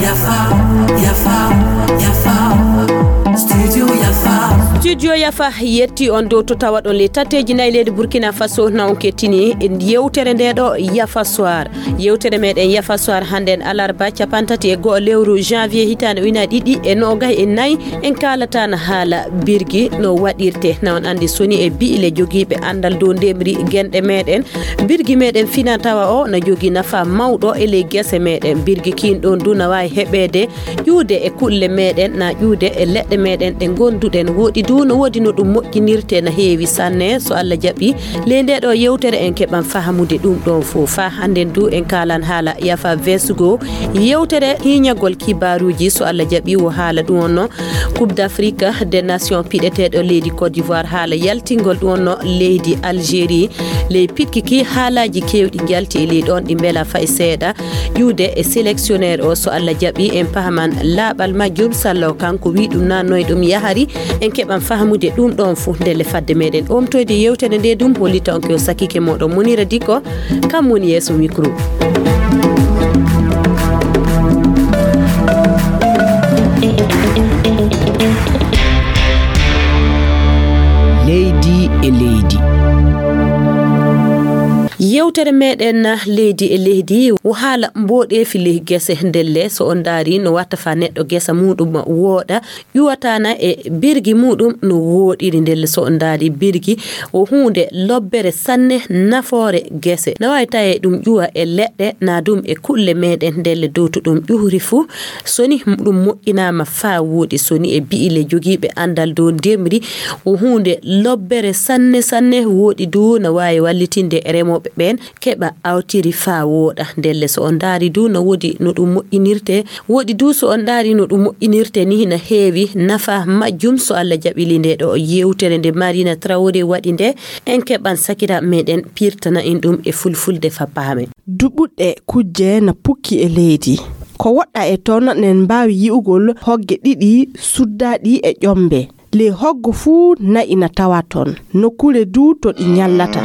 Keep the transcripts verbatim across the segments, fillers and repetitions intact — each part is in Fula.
Yafa, yafa, yafa. Studio Yafa. Studio Yafa yetti on dow to tawaɗon ley tatteeji nayi leydi Burkina Faso na on kettini yewtere nde ɗo Yafa Soir. Yewtere meɗen Yafa Soir hannden alarba capantati e go'o lewru janvier hitaande ujunaaji ɗiɗi e noogay e nayi. En kaalata na haala birgi no waɗirte. Na on anndi soni e bi'ile jogiiɓe anndal dow ndemri genɗe meɗen. Birgi meɗen fina tawa o na jogii nafa mawɗo e ley gese meɗen. Birgi kiin ɗon du na waawi heɓeede ƴuude e kulle meɗen, na ƴuude e leɗɗe meɗen ɗe ngonduɗen. Woodi du no woodi no ɗum moƴƴinirte na heewi sanne. So Allah jaɓi, ley nde ɗo yewtere en keɓan fahamude ɗum ɗon fof. Faa hannden du en kaalan haala Yafa Vesgo, yewtere hiiñagol kibaaruuji. So Allah jaɓi, wo haala ɗum on no Coupe d'Afrique des Nations piɗeteeɗo leydi Côte d'Ivoire, haala yaltingol ɗum on no leydi Algérie. Ley piɗki ki, haalaaji keewɗi njalti e ley ɗon ɗi mbela fay seeɗa. Ƴuude e sélectionneur o, so Allah jaɓi, en pahaman laaɓal majjum, sallo kanko wi ɗum na noy ɗum yahari. En keɓan fahamude ɗum ɗon fof ndelle fadde meɗen omtoyde yewtere nde ɗum hollita on ko yo sakike moɗon Munira Diko, kam woni yeeso micro. Leydi e leydi. Yewtere meɗen leydi e leydi wo haala mboɗeefi ley gese ndelle. So on ndaari no watta fa neɗɗo gesa muɗum wooɗa, ƴuwatana e birgi muɗum no wooɗiri ndelle. So on ndaari birgi wo huunde lobbere sanne nafoore gese. Na waawi tawe ɗum ƴuwa e leɗɗe na ɗum e kulle meɗen ndelle dow to ɗum ƴuhri fuu. Soni ɗum moƴƴinaama faa wooɗi, soni e bi'ile jogiiɓe anndal dow ndemri, wo huunde lobbere sanne sanne. Wooɗi du na waawi wallitinde remooɓe ɓeen keɓa awtiri faa wooɗa. Ndelle so on ndaari du no woodi no ɗum moƴƴinirte, wooɗi du so on ndaari no ɗum moƴƴinirte ni na heewi nafa majjum. So Allah jaɓili nde ɗo yewtere nde Marina Traoré waɗi nde, en keɓan sakira meɗen pirtana en ɗum e fulfulde faa paamen. Duɓuɗe kujje na pukki e leydi. Ko woɗɗa e toon, nen mbaawi yi'ugol hogge ɗiɗi suddaaɗi e ƴombe. Ley hoggo fuu na'i na tawa toon. Nokkuure du to ɗi ñallata.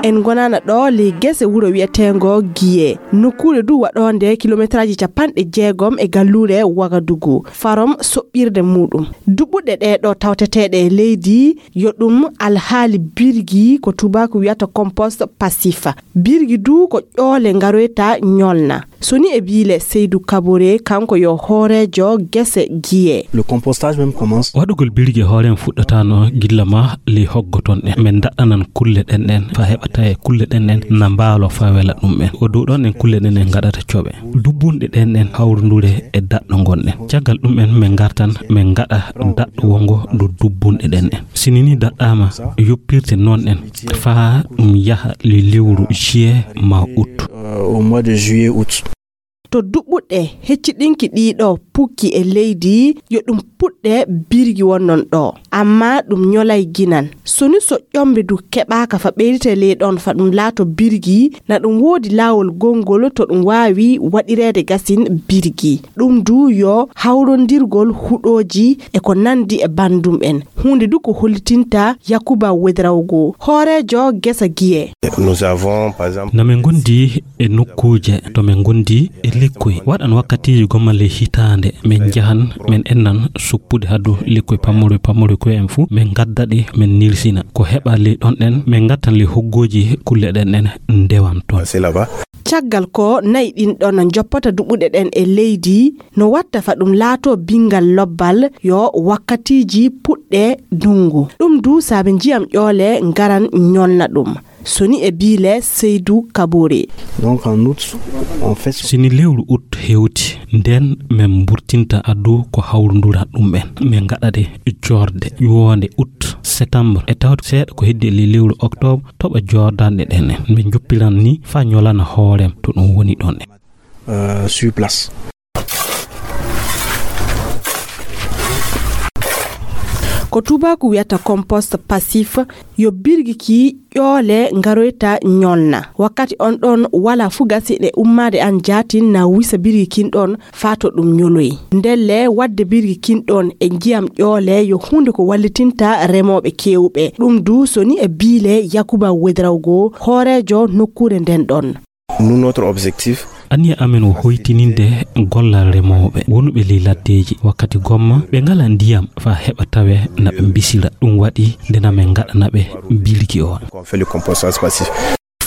En ngonana ɗo ley gese wuro wi'eteengo Giye. Nokkuure du waɗoonde kilometraaji capanɗe jeegom e galluure Wagadugu, farom soɓɓirde muɗum. Duɓuɗe ɗee ɗo tawteteeɗe e leydi, yo ɗum alhaali birgi, ko tuubaaku wiyata compost passif. Birgi du ko ƴoole ngaroyta ñolna. Soni e biile Seydou Kabore, kanko yo hooreejo gese Giye. Le compostage même commence. Waɗugol birgi e hoore mum fuɗɗataano gilla ma ley hoggo ton ɗen. Men daɗɗanan kulle ɗen ɗen, fa heɓa tawe kulle ɗen ɗen na mbaalo fa wela ɗum en. O dow ɗon ɗen kulle ɗen ɗen ngaɗata coɓe. Dubbunɗe ɗen ɗen hawrundure e daɗɗo ngon ɗen. Caggal ɗum en men ngartan men ngaɗa daɗɗo wongo dow dubbunɗe ɗen ɗen. Sini ni daɗɗaama yoppirte non ɗen faa ɗum yaha ley lewru juillet ma août. Euh, au mois de juillet, août. To duɓɓuɗe hecciɗinki ɗii ɗoo pukki e leydi, yo ɗum puɗɗe birgi wonnon ɗoo. Ammaa ɗum ñolay ginan. Soni so ƴombe du keɓaaka fa ɓeydete ley ɗon fa ɗum laato birgi, na ɗum woodi laawol gongol to ɗum waawi waɗireede gasin birgi. Ɗum du yo hawrondirgol huɗooji e ko nandi e banndum en. Huunde du ko hollitinta Yakuba Wedrawgo, hooreejo gesa Giye. Nous avons, par exemple, na min ngondi e nokkuuje to min ngondi e lekkoy. Waɗan wakkatiiji gomma ley hitaande, min njahan, min ennan suppude hadu lekkoy pammuroy, pammuroy koy en fuu, min ngadda ɗi, min nirsina. Ko heɓa ley ɗon ɗen, min ngattan ley hoggooji kulle ɗen ɗen ndewan toon. C'est là-bas. Caggal ko nayi ɗin ɗon njoppata duɓuɗe ɗen e leydi, no watta fa ɗum laato bingal lobbal, yo wakkatiiji puɗɗe ndungu. Ɗum du saabe njiyam ƴoole ngaran ñolna ɗum. Soni e biile Seydou Kabore. Donc en août, on fait. Sini lewru août hewti, nden min mburtinta addu ko hawrundura ɗum en. Min ngaɗa ɗe joorde ƴuwoonde août, septembre. E tawde seeɗa ko heddi e ley lewru octobre, toɓa joordanɗe ɗen en. Min njoppiran ni faa ñolana hoorem to ɗum woni ɗon en. Euh, sur place. Ko tuubaaku wiyata compost passif, yo birgi ki ƴoole ngaroyta ñolna. Wakkati on ɗon wala fu gasi ɗe ummaade an jaatin na wisa birgi kin ɗon faa to ɗum ñoloyi. Ndelle waɗde birgi kin ɗon e njiyam ƴoole yo huunde ko wallitinta remooɓe keewɓe. Ɗum du so ni e biile Yakuba Wedrawgo, hooreejo nokkuure nden ɗon. Nous, notre objectif. Anniya amen wo hoytininde gollal remooɓe wonuɓe ley laddeeji. Wakkati gomma ɓe ngala ndiyam faa heɓa tawe na ɓe mbisira. Ɗum waɗi nde na men ngaɗana ɓe birgi o. On fait le compostage passif.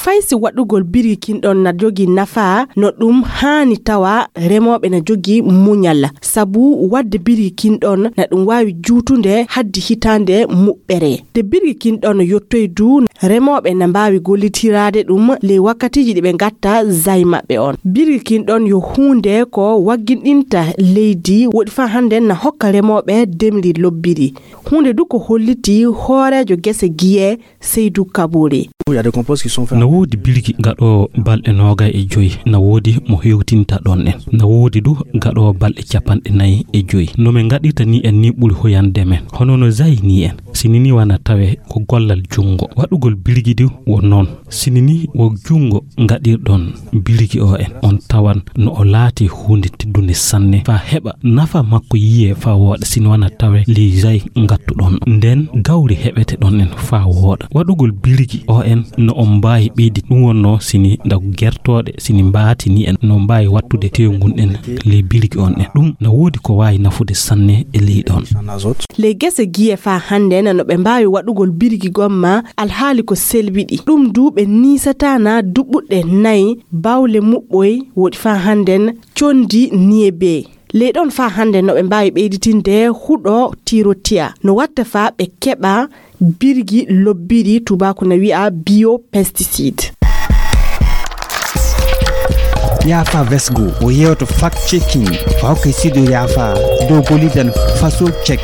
Fay si waɗugol birgi kin ɗon na jogii nafaa no ɗum haani tawa remooɓe na jogii muñal, sabu waɗde birgi kin ɗon na ɗum waawi juutunde haddi hitaande muɓɓere. Nde birgi kin ɗon yottoy du, remooɓe na mbaawi gollitiraade ɗum ley wakkatiiji ɗi ɓe ngatta zay maɓɓe on. Birgi kin ɗon yo huunde ko wagginɗinta leydi, woɗi faa hannden na hokka remooɓe ndemri lobbiri. Huunde du ko holliti hooreejo gese giye Seydou Kabore. Il y a des composts qui sont faits. Na woodi birgi gaɗoowo balɗe noogay e joy, na woodi mo hewtinta ɗon en, na woodi du gaɗoowo balɗe capanɗe nayi e joy. No men ngaɗirta ni en ni ɓuri hoyande men, hono no zayi ni en. Sini ni wana tawe ko gollal junngo. Waɗugol birgi du wo noon. Sini ni wo junngo ngaɗirɗon birgi o en, on tawan no o laati huunde teddunde sanne, faa heɓa nafa makko yiye faa wooɗa. Sini wana tawe ley zayi ngattuɗon, nden gawri heɓete ɗon en faa wooɗa. Waɗugol birgi o en no on mbaawi ɓeydi ɗum wonno sini ndagu gertooɗe, sini mbaati ni en no mbaawi wattude tew ngun en ley birgi on en. Ɗum na woodi ko waawi nafude sanne e ley ɗon. Les gese giye faa hannde nano ɓe mbaawi waɗugol birgi gomma alhaali ko selbiɗi. Ɗum du ɓe niisataana duɓɓuɗe nayi bawle muɓɓoy woɗi faa hannden condi niye bee. Ley ɗon faa hannde no ɓe mbaawi ɓeyditinde huɗo tirotiya. No watta faa ɓe keɓa birgi lobbiri, tubaaku na wi'a biopesticide. Yaafa Vesgo o yewto fact checking. Fawke sido yaafa dow golidan faso check.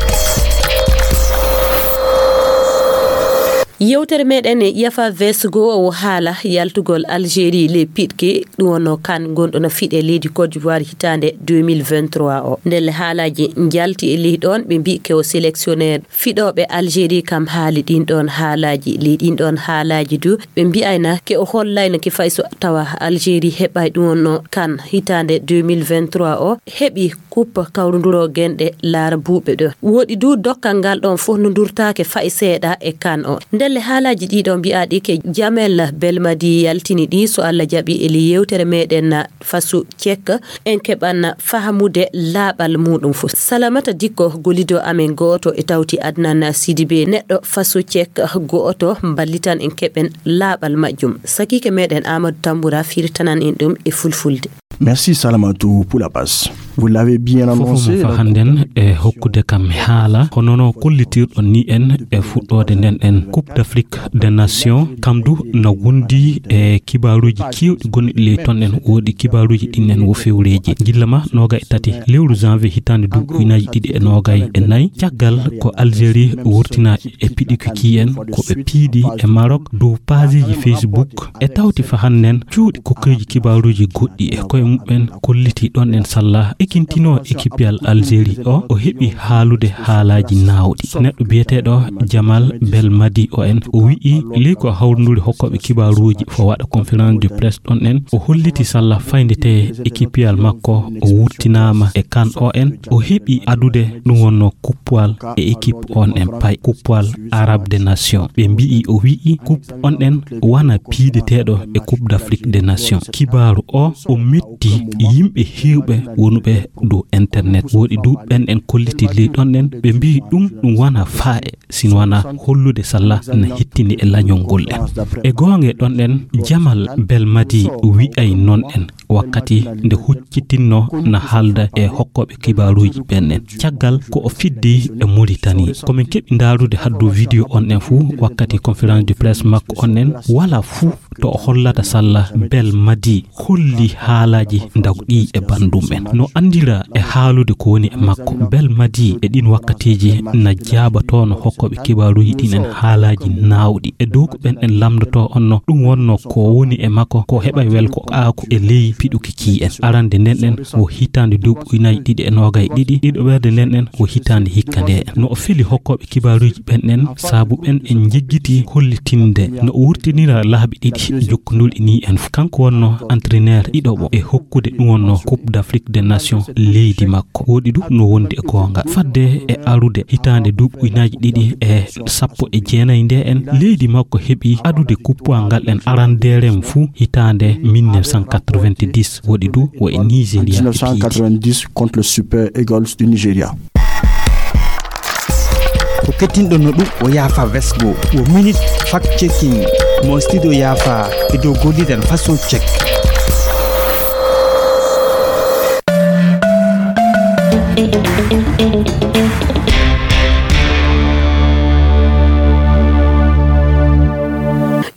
Yewtere meɗen e Yafa Vesgo o haala yaltugol Algérie le piɗke ɗum wonno kan gonɗo no fiɗe leydi Côte d'Ivoire hitaande deux mille vingt-trois o. Ndelle haalaaji njalti e ley ɗon ɓe mbi ke o sélectionnaire fiɗooɓe Algérie kam haali ɗin ɗon haalaaji. Ley ɗin ɗon haalaaji du ɓe mbi'ayna ke o hollayna ke fay so tawa Algérie heɓay ɗum wonno kan hitaande deux mille vingt-trois o heɓi coupe kawrunduro genɗe laara buuɓe ɗo. Woɗi du dokkal ngal ɗon fof no durtaake fay seeɗa e kan o. Ndelle haalaaji ɗiɗo mbi'aaɗi ke Jamel Belmadi yaltini ɗi so Allah jaɓi e ley yewtere meɗen fasu cek en keɓan fahamude laaɓal muɗum fof. Salamata Dikko golido amen gooto e tawti Adnan Sidibe neɗɗo fasu cek gooto mballitan en keɓen laaɓal majjum. Sakiike meɗen Amadou Tambura firtanan en ɗum e fulfulde. Merci Salamatu pour la passe. Vous l'avez bien annoncé. Fof mo fa hannden e hokkude kam haala, hono no kollitirɗon ni en e fuɗɗoode nden en Coupe d'Afrique des Nations, kam du na wondi e kibaaruuji keewɗi gonɗi ley ton en, woodi kibaaruuji ɗin en wo fewreeji. Gilla ma noogay e tati lewru janvier hitaande du ujunaaji ɗiɗi e noogay e nayi, caggal ko Algérie wurtina e piɗikuki en ko ɓe piidi e Maroc dow paaseeji Facebook. E tawti fa hannden cuuɗi kokkeeji kibaaruuji goɗɗi e koye muɓɓen kolliti ɗon en salla ekintino ekipiyal Algérie o, o heɓi haalude haalaaji naawɗi. Neɗɗo biyeteeɗo Jamal Belmadi o en, o wi'i ley ko hawrunduri hokkooɓe kibaaruuji fo waɗa conférence de presse ɗon en, o holliti salla fayndete ekipiyal makko o wurtinaama e kan o en, o heɓi adude ɗum wonno kuppuwal e équipe on en pay, kuppuwal Arabe des Nations. Ɓe mbi'i, o wi'i, coupe on en wana piideteeɗo e Coupe d'Afrique des Nations. Kibaaru o, o metti yimɓe heewɓe wonuɓe dow internet. Woɗi du ɓen en kolliti ley ɗon en, ɓe mbi'i ɗum, ɗum wana faa'e, sin wana hollude salla na hettini e lañol ngol en. E goonge ɗon en, Jamal Belmadi wi'ay non en. Wakkati nde huccitinno na haalda e hokkooɓe kibaaruuji ɓen en. Caggal ko o fiddi e Mauritanie. Ko min keɓi ndaarude haddu vidéo on en fuu wakkati conférence de presse makko on en, wala fuu to o hollata salla Belmadi holli haalaaji ndagɗi e bandum en. No anndira e haalude ko woni e makko. Belmadi e ɗin wakkatiiji na jaabatono hokkooɓe kibaaruuji ɗin en haalaaji naawɗi. E dow ko ɓen en lamndotoo on no, ɗum wonno ko woni e makko, ko heɓay welko aaku e ley piɗuki kii en. Arande nden ɗen wo hitaande duuɓi ujunaaji ɗiɗi e noogay e ɗiɗi, ɗiɗoɓerde nden ɗen wo hitaande hikka nde en. No o feli hokkooɓe kibaaruuji ɓen ɗen, sabu ɓen en njiggitii hollitinde no o wurtinira laabi ɗiɗi jokkonduɗi nii en. Kanko wonno entraîneur ɗiɗoɓo e hokkude ɗum wonno Coupe d'Afrique des Nations leydi makko. Woɗi du no wondi e goonga. Fadde e arude hitaande duuɓi ujunaaji ɗiɗi e sappo e jeenayi nde en, leydi makko heɓi adude kuppuwal ngal en arandeere mum fuu hitaande mille neuf cent quatre-vingt-dix, woɗi du wo e Nigeria heɓi. Mille neuf cent quatre-vingt-dix contre le Super Eagles du Nigeria. Ko kettinɗo no ɗum o yaafa vesgo, o minute fact checking mo studio yaafa e dow golliren façon check.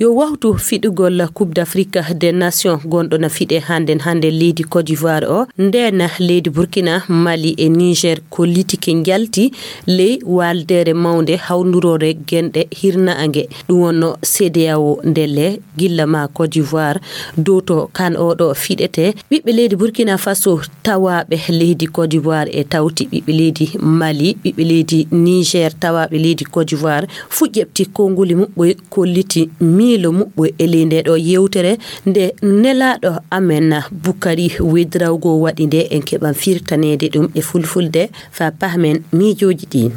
Yo wawtu fiɗugol Coupe d'Afrique des Nations gonɗo na fiɗe hande hande leydi Côte d'Ivoire o, nden leydi Burkina, Mali e Niger kollitike njalti ley waldere mawnde hawndurore genɗe hirnaange, ɗum wonno C D A O ndelle gilla ma Côte d'Ivoire dow to kan oɗo fiɗete. Ɓiɓɓe leydi Burkina Faso tawaaɓe leydi Côte d'Ivoire e tawti ɓiɓɓe leydi Mali, ɓiɓɓe leydi Niger tawaaɓe leydi Côte d'Ivoire fu ƴeɓti konnguli muɓɓoy kolliti miilo muɓɓoy e ley nde ɗo yewtere nde nelaaɗo amen Bukari Wedrawgo waɗi nde en keɓan firtaneede ɗum e fulfulde fa pahmen miijooji ɗin.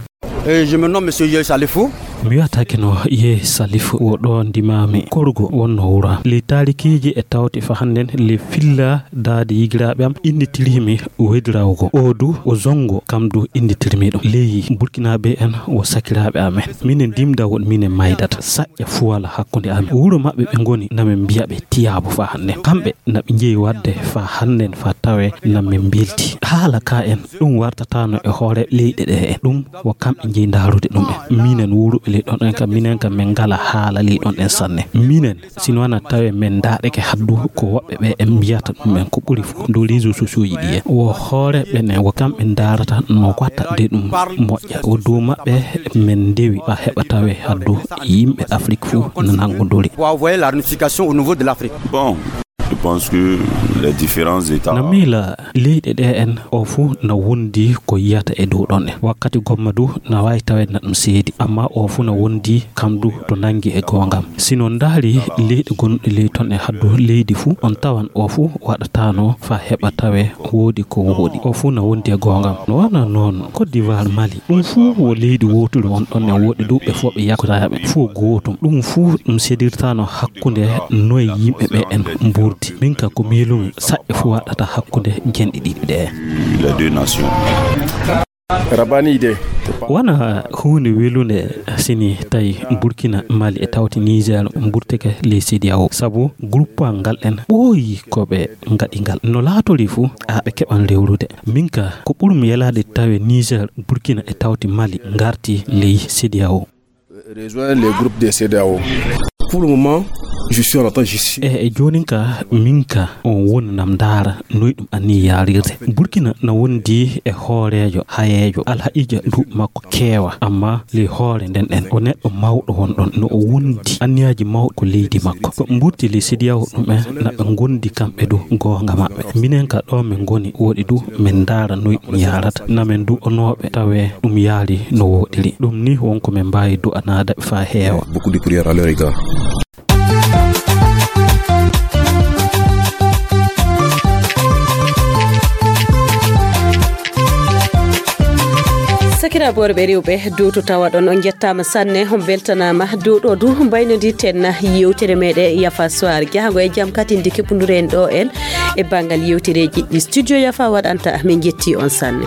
Eh, je me nomme Monsieur Yeh Salifou. Mi wiyata keno Yeh Salifou, wo ɗo ndimami. Korgo wonno wura. Ley taarikiiji e tawti fa hannden ley filla daade yigiraaɓe am innditirimi Wedrawgo. O du o Zongo kam du innditirmi ɗum. Ley Burkinaaɓe en wo sakiraaɓe amen. Minen dimda won minen maydata. Saƴƴa fuwala hakkunde amen. Wuro maɓɓe ɓe ngoni na min mbiya ɓe tiyaabu fa hannden. Kamɓe na ɓe njeyi waɗde fa hannden fa tawe na min mbelti. Haala ka en ɗum wartatano e hoore leyɗe ɗe en. Ɗum wo kamɓe njeyi ndaarude ɗum en. Minen wuuruɓe ley ɗon en kam, minen kam min ngala haala ley ɗon en sanne. Minen, sino wana tawe min ndaareke haddu ko woɓɓe ɓe en mbiyata ɗum en ko ɓuri fof dow réseaux sociaux ji ɗi en. Wo hoore ɓen en, wo kamɓe ndaarata no watta de ɗum moƴƴa. Wo dow maɓɓe min ndewi ɓa heɓa tawe haddu yimɓe Afrik fof no nannguduri. Pour envoyer la réunification au niveau de l'Afrique. Bon, je pense que les différents États. Na miila leyɗe ɗe en o fuu na wondi ko yiyata e dow ɗon en. Wakkati gomma du na waawi taweede na ɗum seedi, amma o fuu na wondi kam du to nanngi e goongam. Si non ndaari leyɗe gonɗe ley ton e haddu leydi fuu, on tawan o fuu waɗataano fa heɓa tawe woodi ko woodi. O fuu na wondi e goongam. No wana noon, Côte d'Ivoire, Mali, ɗum fuu wo leydi wooturu won ɗon en, woodi du ɓe fof ɓe yakkotaaɓe, fof gootum. Ɗum fuu ɗum sedirtaano hakkunde noye yimɓe ɓe en mburdi. Min ka ko miilumi saƴƴe fuu waɗata hakkunde genɗe ɗiɗi ɗe. Les deux nations. Rabani de. Wona huunde welunde sini tawi Burkina, Mali e tawti Niger mburtike ley C D A O. Sabu groupe ngal en ɓooyi ko ɓe ngaɗi ngal. No laatori fuu, a ɓe keɓan rewrude. Min ka, ko ɓurmi yelaade tawe Niger, Burkina e tawti Mali ngarti ley C D A O. Rejoindre les groupes de C D A O. Pour le moment, je suis en attente, je suis. E, e joonin ka, min ka, on woni nam ndaara noy ɗum anni yaarirde. Burkina na wondi e hooreejo, hayeejo, alhaqiija duuɓi makko keewa, amma ley hoore nden en, o neɗɗo mawɗo won ɗon, no o wondi anniyaaji mawɗi ko leydi makko. Ko ɓe mburti ley C D A O ɗum en, na ɓe ngondi kamɓe du goonga maɓɓe. Minen ka ɗo min ngoni woɗi du, min ndaara noy ɗum yaarata. Na min du'onooɓe tawe ɗum yaari no woɗiri. Ɗum ni won ko min mbaawi du'anaade fa heewa. Beaucoup de prières à leur égard. Sakiraaɓe worɓe rewɓe, dow to tawaɗon, on njettaama sanne, on mbeltanaama. Dow ɗo du mbaynodirten yewtere meɗen Yafa Soir. Jahango e jam katinde keɓundure en ɗo en e banngal yewtereeji ɗi Studio Yafa waɗanta. Min njetti on sanne.